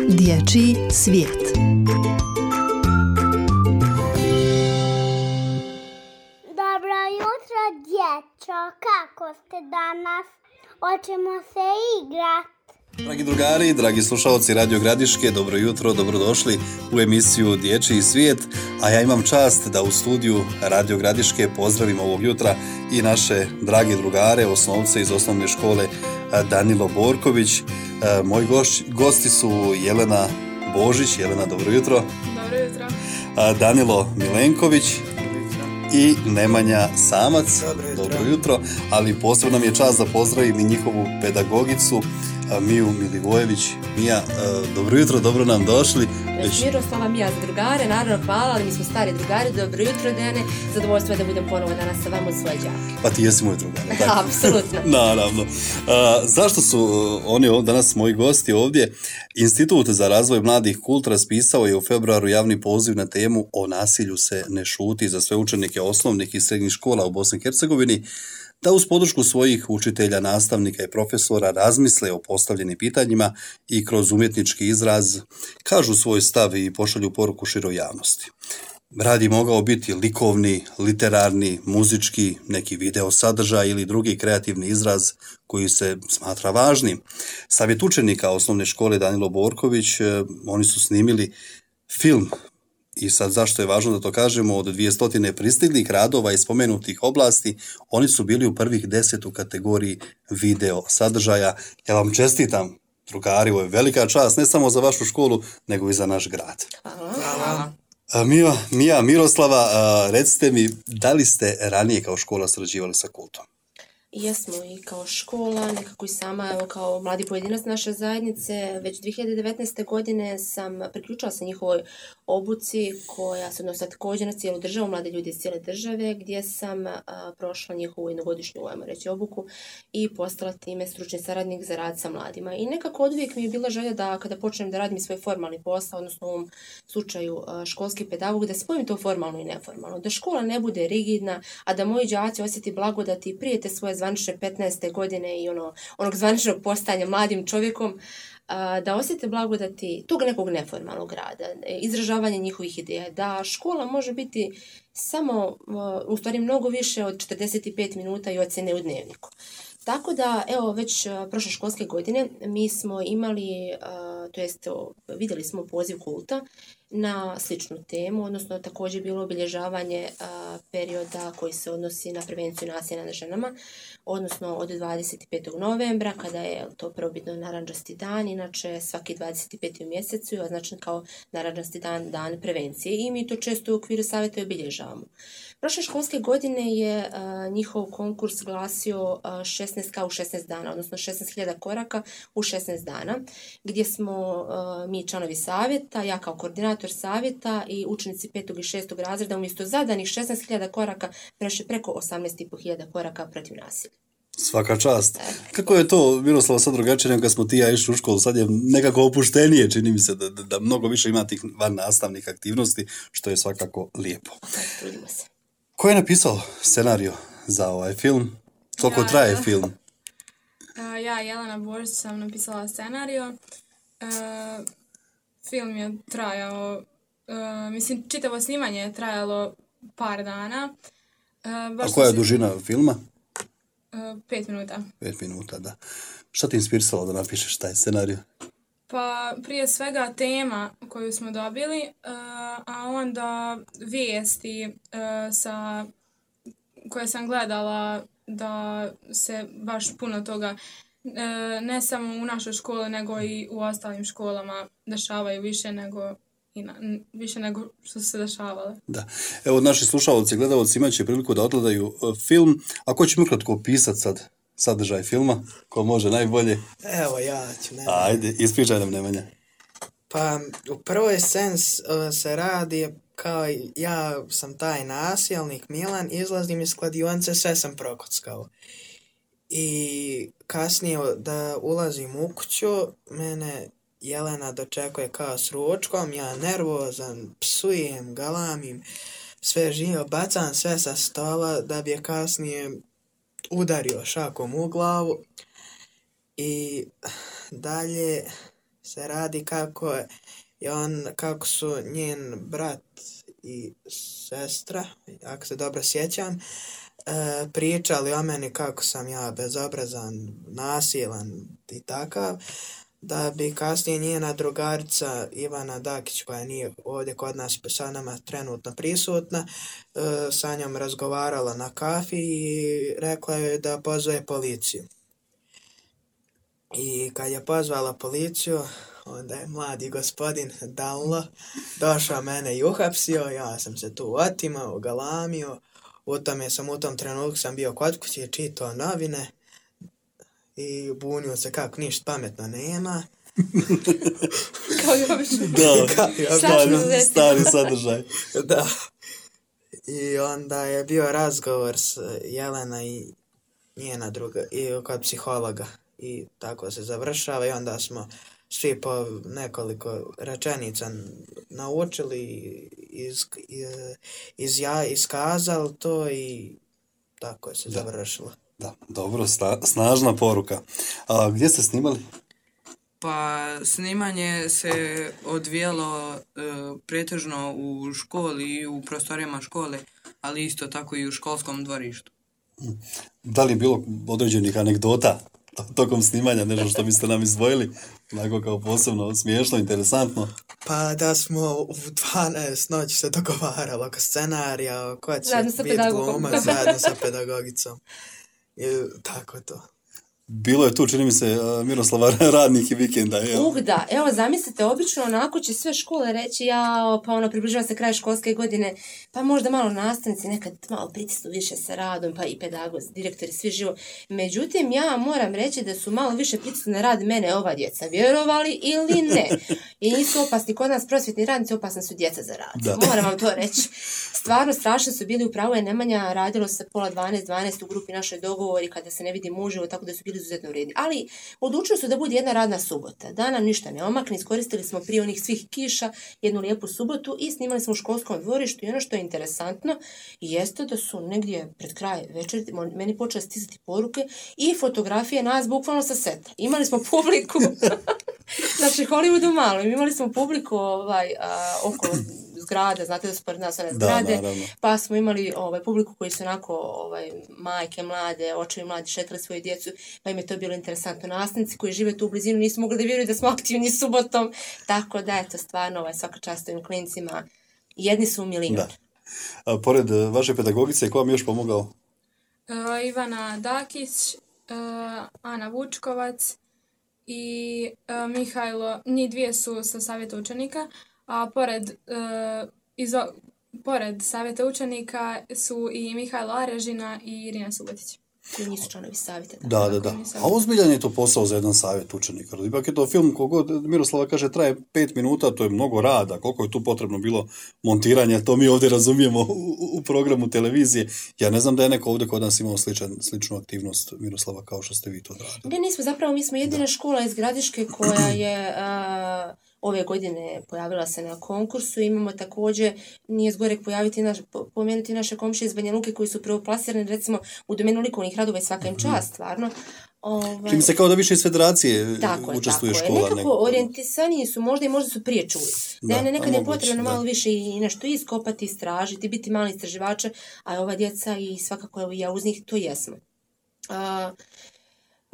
Dječji svijet. Dobro jutro, dječo. Kako ste danas? Hoćemo se igrat. Dragi drugari, dragi slušalci Radio Gradiške, dobro jutro, dobrodošli u emisiju Dječji svijet, a ja imam čast da u studiju Radio Gradiške pozdravim ovog jutra i naše dragi drugare, osnovce iz osnovne škole Danilo Borković. Moji gosti su Jelena Božić. Jelena, dobro jutro. Dobro jutro. Danilo Milenković i Nemanja Samac. Dobro jutro. Ali posebno nam je čast da pozdravim i njihovu pedagogicu Miju Milivojević. Mija, dobro jutro, dobro nam došli. Miroslava, Mija za drugare, naravno hvala, ali mi smo stari drugari, dobro jutro Dene, zadovoljstvo je da budem ponovo danas sa vama uz svoje đake. Pa ti jesi moj drugar, tako? Apsolutno. Naravno. Zašto su oni danas moji gosti ovdje? Institut za razvoj mladih kult raspisao je u februaru javni poziv na temu O nasilju se ne šuti za sve učenike osnovnih i srednjih škola u Bosni i Hercegovini, da uz podršku svojih učitelja, nastavnika i profesora razmisle o postavljenim pitanjima i kroz umjetnički izraz kažu svoj stav i pošalju poruku široj javnosti. Rad je mogao biti likovni, literarni, muzički, neki video sadržaj ili drugi kreativni izraz koji se smatra važnim. Savjet učenika osnovne škole Danilo Borković, oni su snimili film. I sad zašto je važno da to kažemo, od 200 pristiglih radova iz spomenutih oblasti, oni su bili u prvih 10 u kategoriji video sadržaja. Ja vam čestitam, drugari, ovo je velika čast, ne samo za vašu školu, nego i za naš grad. Hvala. Mija, Miroslava, recite mi, da li ste ranije kao škola sarađivali sa kultom? Jesmo i kao škola, nekako i sama, evo kao mladi pojedinac naše zajednice, već 2019. godine sam priključila se njihovoj obuci koja se odnosi također na cijelu državu, mlade ljudi iz cijele države, gdje sam prošla njihovu jednogodišnju, ajmo reći, obuku i postala time stručni saradnik za rad sa mladima. I nekako oduvijek mi je bila želja da kada počnem da radim svoj formalni posao, odnosno u ovom slučaju školski pedagog, da spojim to formalno i neformalno, da škola ne bude rigidna, a da moji đaci osjeti blagodati prije te svoje zvanične 15. godine i onog zvaničnog postanja mladim čovjekom, da osjete blagodati tog nekog neformalnog rada, izražavanje njihovih ideja, da škola može biti samo, u stvari mnogo više od 45 minuta i ocjene u dnevniku. Tako da, evo, već prošle školske godine mi smo imali, vidjeli smo poziv kulta na sličnu temu, odnosno također bilo obilježavanje perioda koji se odnosi na prevenciju nasilja nad ženama, odnosno od 25. novembra, kada je to prvobitno narandžasti dan, inače svaki 25. u mjesecu je označen kao narandžasti dan, dan prevencije, i mi to često u okviru savjeta obilježavamo. Prošle školske godine je njihov konkurs glasio 16K u 16 dana, odnosno 16.000 koraka u 16 dana, gdje smo mi članovi savjeta, ja kao koordinator savjeta i učenici 5. i 6. razreda umjesto zadanih 16.000 koraka prešli preko 18.500 koraka protiv nasilja. Svaka čast. Kako je to, Miroslava, sad drugačije nego kad smo ti ja išli u školu, sad je nekako opuštenije, čini mi se da mnogo više ima tih van nastavnih aktivnosti, što je svakako lijepo. Trudimo se. Ko je napisao scenariju za ovaj film? Koliko traje film? Ja, Jelena Božić, sam napisala scenariju. Film je trajao, čitavo snimanje je trajalo par dana. A koja je dužina filma? 5 minuta. 5 minuta, da. Šta ti inspirisalo da napišeš taj scenarij? Pa prije svega tema koju smo dobili, a onda vijesti koje sam gledala, da se baš puno toga ne samo u našoj školi nego i u ostalim školama dešavaju više nego što su se dešavale. Da. Evo, naši slušalci i gledalci imat će priliku da odgledaju film. A ko će mi ukratko opisati sad sadržaj filma? Ko može najbolje? Evo, ja ću. Ajde, ispričaj nam, Nemanja. Pa, u prvoj sceni se radi kao ja sam taj nasilnik Milan, izlazim iz kladionice, sve sam prokockao. I kasnije da ulazim u kuću, mene Jelena dočekuje kao s ručkom, ja nervozan, psujem, galamim, sve živo, bacam sve sa stola da bi je kasnije udario šakom u glavu. I dalje se radi kako su njen brat i sestra, ako se dobro sjećam, pričali o meni kako sam ja bezobrazan, nasilan i takav, da bi kasnije njena drugarica Ivana Dakić, koja nije ovdje kod nas sa nama trenutno prisutna, sa njom razgovarala na kafi i rekla joj da pozove policiju. I kad je pozvala policiju, onda je mladi gospodin Danlo došao mene i uhapsio, ja sam se tu otimao, galamio, u tom trenutku sam bio kod kuće, čitao novine i bunio se kako ništa pametno nema. Kao i obično. Da, stari sadržaj. Da. I onda je bio razgovor s Jelena i njena druga, i kod psihologa. I tako se završava i onda smo svi po nekoliko rečenica naučili, iskazali to i tako se završilo. Da, dobro, snažna poruka. A gdje ste snimali? Pa snimanje se odvijelo pretežno u školi i u prostorijama škole, ali isto tako i u školskom dvorištu. Da li je bilo određenih anegdota tokom snimanja, nešto što biste nam izdvojili, onako kao posebno smiješno, interesantno? Pa da smo u 12 noći se dogovaralo oko scenarija, ko će biti glumac zajedno sa pedagogicom. I tako to. Bilo je tu, čini mi se, Miroslava, radnih i vikenda. Da, evo zamislite, obično onako će sve škole reći, pa približava se kraj školske godine, pa možda malo nastavnici nekad malo pritisnu više sa radom, pa i pedagozi, direktori, svi živo. Međutim, ja moram reći da su malo više pritisnu na rad mene ova djeca, vjerovali ili ne. I nisu opasni, kod nas prosvjetni radnici, opasni su djeca za rad. Da. Moram vam to reći. Stvarno strašno su bili, upravo je Nemanja, radilo se pola 12 u grupi našoj dogovori kada se ne vidi muževo, tako da su bili izuzetno vredi. Ali odlučili su da bude jedna radna subota. Da nam ništa ne omakne, iskoristili smo prije onih svih kiša jednu lijepu subotu i snimali smo u školskom dvorištu i ono što je interesantno jeste da su negdje pred kraj večeri meni počele stizati poruke i fotografije nas bukvalno sa seta. Imali smo publiku, znači Hollywoodu malo, imali smo publiku oko zgrade, znate da su pored nas one zgrade, pa smo imali publiku koji su onako majke mlade, očevi mladi šetali svoju djecu, pa im je to bilo interesantno. Nastavnici koji žive tu u blizinu nisu mogli da vjeruju da smo aktivni subotom, tako da eto stvarno svaka čast ovim klincima, jedni su milion. Da. Pored vaše pedagogice, ko vam još pomogao? Ivana Dakić, Ana Vučkovac i Mihajlo, njih dvije su sa savjeta učenika, a pored savjeta učenika su i Mihajlo Arežina i Irina Subotić. Koji nisu članovi savjeta. Da. A ozbiljan je to posao za jedan savjet učenika. Ipak je to film, kogod Miroslava kaže, traje 5 minuta, to je mnogo rada. Koliko je tu potrebno bilo montiranja, to mi ovdje razumijemo u programu televizije. Ja ne znam da je neko ovdje kod nas imao sličnu aktivnost, Miroslava, kao što ste vi to radili. Ne, nismo, zapravo mi smo jedina škola iz Gradiške koja je ove godine pojavila se na konkursu. Imamo također, nije zgorek pomenuti naše komšije iz Banja Luke koji su prvoplasirani recimo u domenu likovnih radova i svaka im čast, stvarno. Čini se kao da više iz federacije učestvuje škola. Nekako orijentisaniji su možda i možda su prije čuli. Nekad je potrebno malo više i nešto iskopati, istražiti, biti mali istraživača, a ova djeca i svakako evo ja uz njih to jesmo.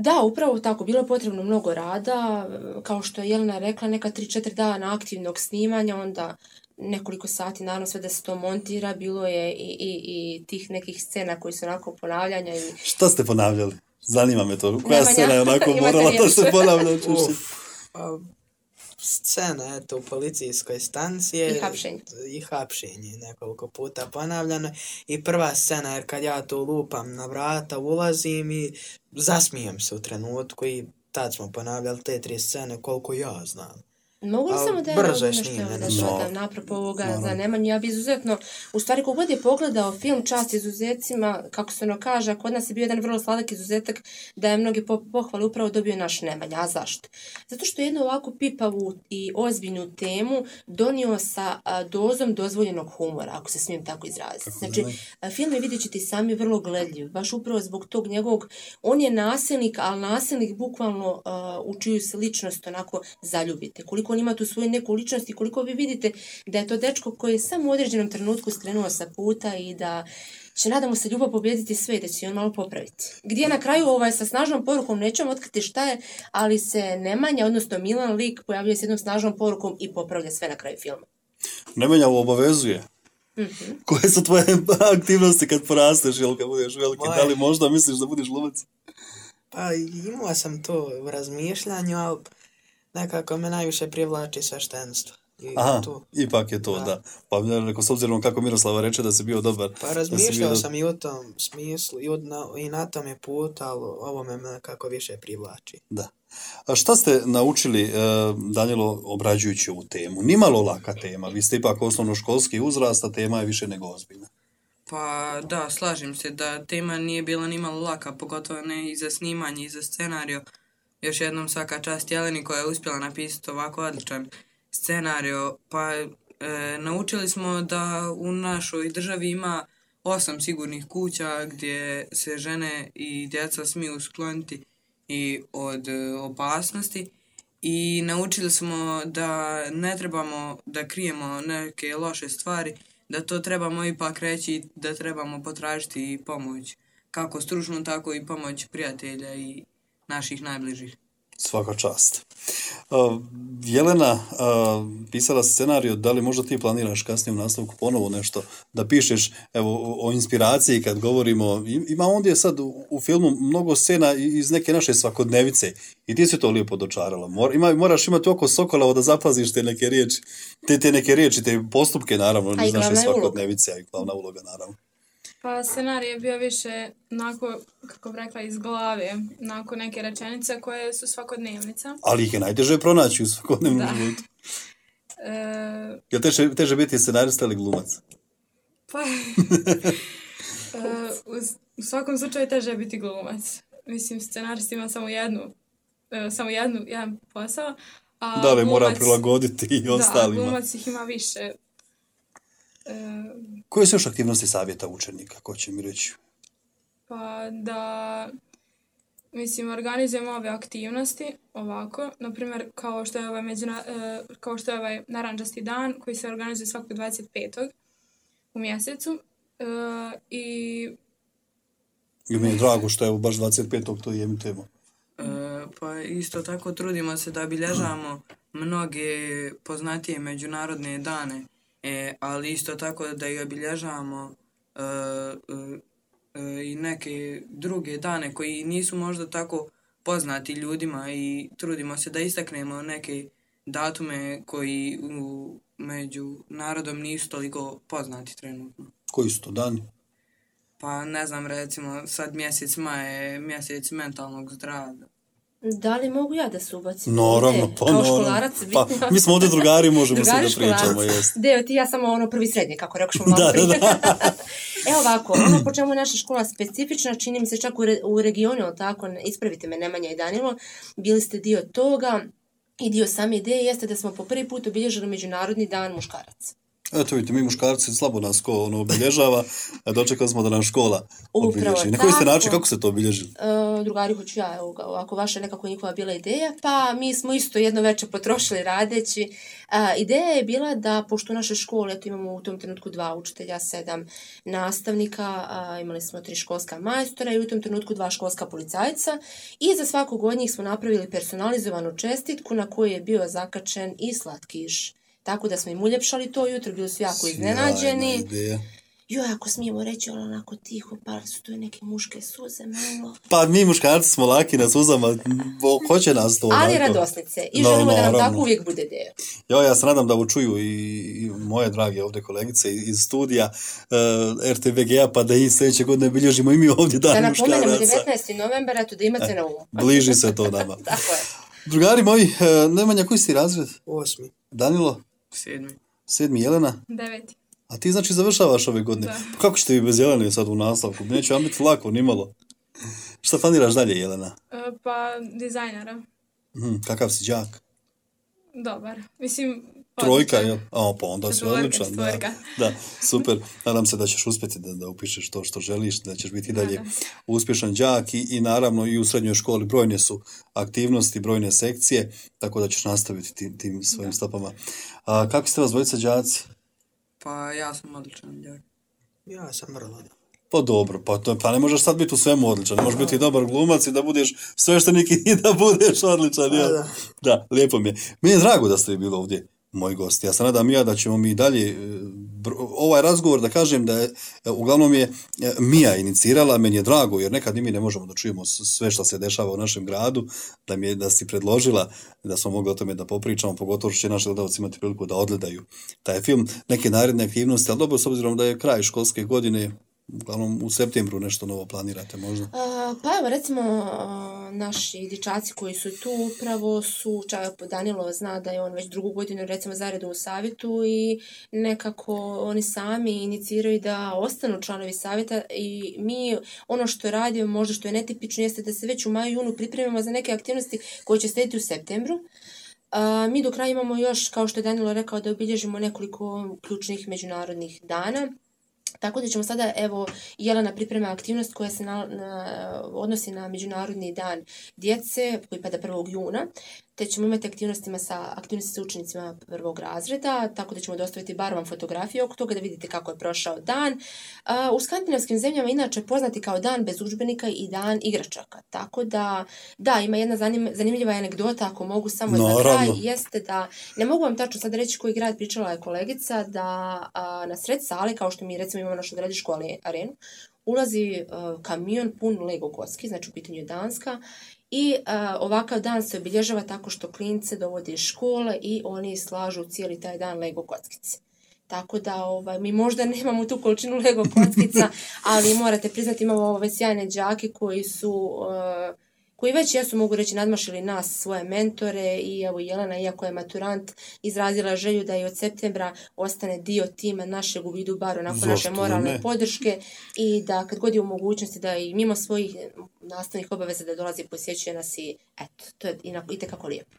Da, upravo tako, bilo je potrebno mnogo rada, kao što je Jelena rekla, neka 3-4 dana aktivnog snimanja, onda nekoliko sati, naravno sve da se to montira, bilo je i tih nekih scena koji su onako ponavljanja. Šta ste ponavljali? Zanima me to, koja scena je onako morala da se ponavlja? Scena, eto, u policijskoj stanciji i hapšenje nekoliko puta ponavljano i prva scena, jer kad ja tu lupam na vrata, ulazim i zasmijem se u trenutku i tad smo ponavljali te 3 scene koliko ja znam. Mogu li Ali samo da brzo je nešto snimljeno. da No. dodam napropo ovoga za Nemanju? Ja bi izuzetno, u stvari kogod je pogledao film Čast izuzecima, kako se ono kaže, a kod nas je bio jedan vrlo sladak izuzetak da je mnoge pohvale upravo dobio naš Nemanja. A zašto? Zato što je jednu ovako pipavu i ozbiljnu temu donio sa dozom dozvoljenog humora, ako se smijem tako izraziti. Znači, film je, vidjet ćete i sami, vrlo gledljiv, baš upravo zbog tog njegovog, on je nasilnik, ali nasilnik bukvalno u čiju se ličnost onako zaljubite. Koliko on ima tu svoju neku ličnost i koliko vi vidite da je to dečko koji je samo u određenom trenutku skrenuo sa puta i da će, nadamo se, ljubav pobijediti sve i da će on malo popraviti. Gdje na kraju sa snažnom porukom, nećemo otkriti šta je, ali se Nemanja, odnosno Milan lik, pojavljuje s jednom snažnom porukom i popravlja sve na kraju filma. Nemanja obavezuje. Koje su tvoje aktivnosti kad porasteš, jel kad budeš veliki? Da li možda misliš da budeš glumac? Pa imao sam to u razmišljanju, ali nekako me najviše privlači sveštenstvo. Aha, ipak je to, da. Pa ja rekao, s obzirom kako Miroslava reče da si bio dobar. Pa razmišljao sam i u tom smislu i na tom je put, ali ovo me nekako više privlači. Da. A šta ste naučili, Danilo, obrađujući ovu temu? Nimalo laka tema, vi ste ipak osnovnoškolski uzrast, a tema je više nego ozbiljna. Pa da, slažem se da tema nije bila nimalo laka, pogotovo ne i za snimanje i za scenario. Još jednom svaka čast Jeleni koja je uspjela napisati ovako odličan scenario. Pa naučili smo da u našoj državi ima 8 sigurnih kuća gdje se žene i djeca smiju skloniti i od opasnosti. I naučili smo da ne trebamo da krijemo neke loše stvari, da to trebamo ipak reći, da trebamo potražiti i pomoć. Kako stručnu, tako i pomoć prijatelja i naših najbližih. Svaka čast. Jelena, pisala scenariju, da li možda ti planiraš kasnije u nastavku ponovo nešto da pišeš, evo, o inspiraciji kad govorimo, ima ondje sad u filmu mnogo scena iz neke naše svakodnevice i ti si to lijepo dočarala. Moraš imati oko Sokolovo da zapaziš te neke riječi, te neke riječi, te postupke naravno iz naše svakodnevice, a i glavna uloga naravno. Pa scenarij je bio više, onako, kako bi rekla, iz glave, onako neke rečenice koje su svakodnevnica. Ali ih je najteže pronaći u svakodnevnom životu. Je teže biti scenarista ili glumac? Pa, u svakom slučaju teže je biti glumac. Mislim, scenarist ima samo jedan posao. A da li mora prilagoditi i ostalima. Da, glumac ih ima više. Koje su još aktivnosti savjeta učenika, ko će mi reći? Pa da, mislim, organizujemo ove aktivnosti ovako, na primjer kao što je ovaj narančasti dan koji se organizuje svakog 25. u mjesecu i mi je drago što je baš 25. to je temu. Pa isto tako trudimo se da obilježavamo mnoge poznatije međunarodne dane. Ali isto tako da i obilježavamo i neke druge dane koji nisu možda tako poznati ljudima i trudimo se da istaknemo neke datume koji među narodom nisu toliko poznati trenutno. Koji su to dani? Pa ne znam, recimo sad mjesec maj je mjesec mentalnog zdravlja. Da li mogu ja da se ubacim? Naravno, pa kao školarac, pa mi smo ovdje drugari, možemo se da pričamo. Deo ti ja samo prvi srednje, kako rekao što malo prije. Evo ovako, po čemu je naša škola specifična, čini mi se čak u regionu, tako, ispravite me Nemanja i Danilo, bili ste dio toga i dio same ideje jeste da smo po prvi put obilježili Međunarodni dan muškaraca. Eto vidite, mi muškarci slabo nas obilježava, a dočekali smo da nam škola obilježi. Na koji ste način, kako se to obilježili? Drugari, hoću ja, ako vaša nekako njihova bila ideja, pa mi smo isto jedno večer potrošili radeći. Ideja je bila da, pošto u našoj školi, eto imamo u tom trenutku 2 učitelja, 7 nastavnika, imali smo 3 školska majstora i u tom trenutku 2 školska policajca i za svakog od njih smo napravili personalizovanu čestitku na kojoj je bio zakačen i slatkiš. Tako da smo im uljepšali to jutro, bili su jako iznenađeni. Joj, ako smijemo reći, onako tiho, pa su to i neke muške suze malo. Pa mi muškarci smo laki na suzama, hoće nas to onako. Ali radosnice i želimo da nam tako uvijek bude deo. Ja se nadam da ovo čuju i moje drage ovdje kolegice iz studija RTVG-a, pa da i sljedeće godine bilježimo i mi ovdje dan muškaraca. Da napomenemo 19. novembara, to da imate na umu. Bliži se to nama. Tako je. Drugari moji, Nemanja, koji si razred? 8. Danilo? 7. 7. Jelena? 9. A ti znači završavaš ove godine? Da. Pa kako ćete vi bez Jelene sad u nastavku? Neće vam biti lako, nimalo. Šta planiraš dalje, Jelena? Pa dizajnera. Kakav si đak? Dobar. Mislim, Trojka, odličan. jel? Pa onda si Četvorka, odličan. Da, četvorka. da, super. Nadam se da ćeš uspjeti da upišeš to što želiš, da ćeš biti i dalje Nadam se. uspješan đak i naravno i u srednjoj školi brojne su aktivnosti, brojne sekcije, tako da ćeš nastaviti tim svojim stopama. A kako ste vas dvojica đaci? Pa ja sam odličan đak. Ja sam vrlo dobar. Pa dobro, pa ne možeš sad biti u svemu odličan, ne možeš biti i dobar glumac i da budeš sveštenik i da budeš odličan, jel? Da, lijepo mi je. Meni je drago da ste bili ovdje moji gosti. Ja se nadam da ćemo mi dalje ovaj razgovor, da kažem da je, uglavnom je Mija inicirala, meni je drago jer nekad i mi ne možemo da čujemo sve što se dešava u našem gradu, da si predložila da smo mogli o tome da popričamo, pogotovo što će naši gledalci imati priliku da odgledaju taj film, neke naredne aktivnosti, ali dobro, s obzirom da je kraj školske godine, uglavnom u septembru nešto novo planirate možda? Pa evo, recimo, naši dječaci koji su tu upravo su, čak Danilo zna da je on već drugu godinu recimo zaredom u savjetu i nekako oni sami iniciraju da ostanu članovi savjeta i mi ono što radimo, možda što je netipično, jeste da se već u maju, junu pripremamo za neke aktivnosti koje će slijediti u septembru. Mi do kraja imamo još, kao što je Danilo rekao, da obilježimo nekoliko ključnih međunarodnih dana. Tako da ćemo sada, evo, Jelena priprema aktivnost koja se odnosi na Međunarodni dan djece, koji pada 1. juna, te ćemo imati aktivnosti sa učenicima 1. razreda, tako da ćemo dostaviti bar vam fotografije oko toga da vidite kako je prošao dan. U skandinavskim zemljama inače poznati kao dan bez udžbenika i dan igračaka, tako da, ima jedna zanimljiva anegdota, ako mogu samo za kraj, jeste da, ne mogu vam tačno sad reći koji grad, pričala je kolegica, da na sred sale, kao što mi recimo imamo našu gradišku arenu, ulazi kamion pun Lego kocki, znači u pitanju je Danska, i ovakav dan se obilježava tako što klince dovode iz škole i oni slažu cijeli taj dan Lego kockice. Tako da mi možda nemamo tu količinu Lego kockica, ali morate priznati imamo ove sjajne đake koji već jesu, mogu reći, nadmašili nas, svoje mentore i evo Jelena, iako je maturant, izrazila želju da i od septembra ostane dio tima našeg u vidu bar onako naše moralne podrške i da kad god je u mogućnosti da i mimo svojih nastavnih obaveza da dolazi i posjećuje nas i eto, to je itekako lijepo.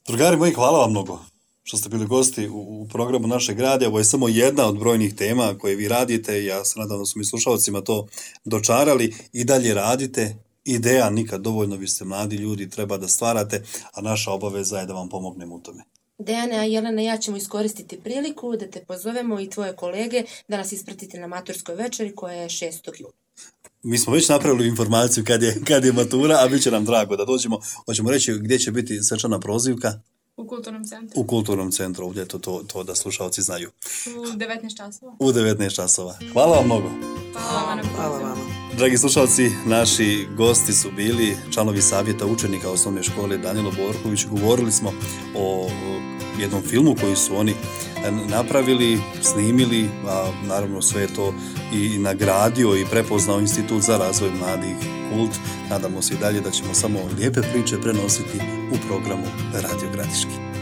Drugari moji, hvala vam mnogo što ste bili gosti u programu našeg radija. Ovo je samo jedna od brojnih tema koje vi radite. Ja se nadam da su mi slušalcima to dočarali i dalje radite. Ideja nikad dovoljno, vi ste mladi ljudi, treba da stvarate, a naša obaveza je da vam pomognemo u tome. Dejane, a Jelena i ja ćemo iskoristiti priliku da te pozovemo i tvoje kolege da nas ispratite na maturskoj večeri koja je 6. juna. Mi smo već napravili informaciju kad je matura, a bit će nam drago da dođemo. Hoćemo reći gdje će biti svečana prozivka? U kulturnom centru. U kulturnom centru, ovdje to da slušalci znaju. U 19 časova. U 19 časova. Hvala vam mnogo. Hvala vama. Dragi slušalci, naši gosti su bili članovi savjeta učenika osnovne škole Danilo Borković. Govorili smo o jednom filmu koji su oni napravili, snimili, a naravno sve je to i nagradio i prepoznao Institut za razvoj mladih Kult. Nadamo se i dalje da ćemo samo lijepe priče prenositi u programu Radio Gradiški.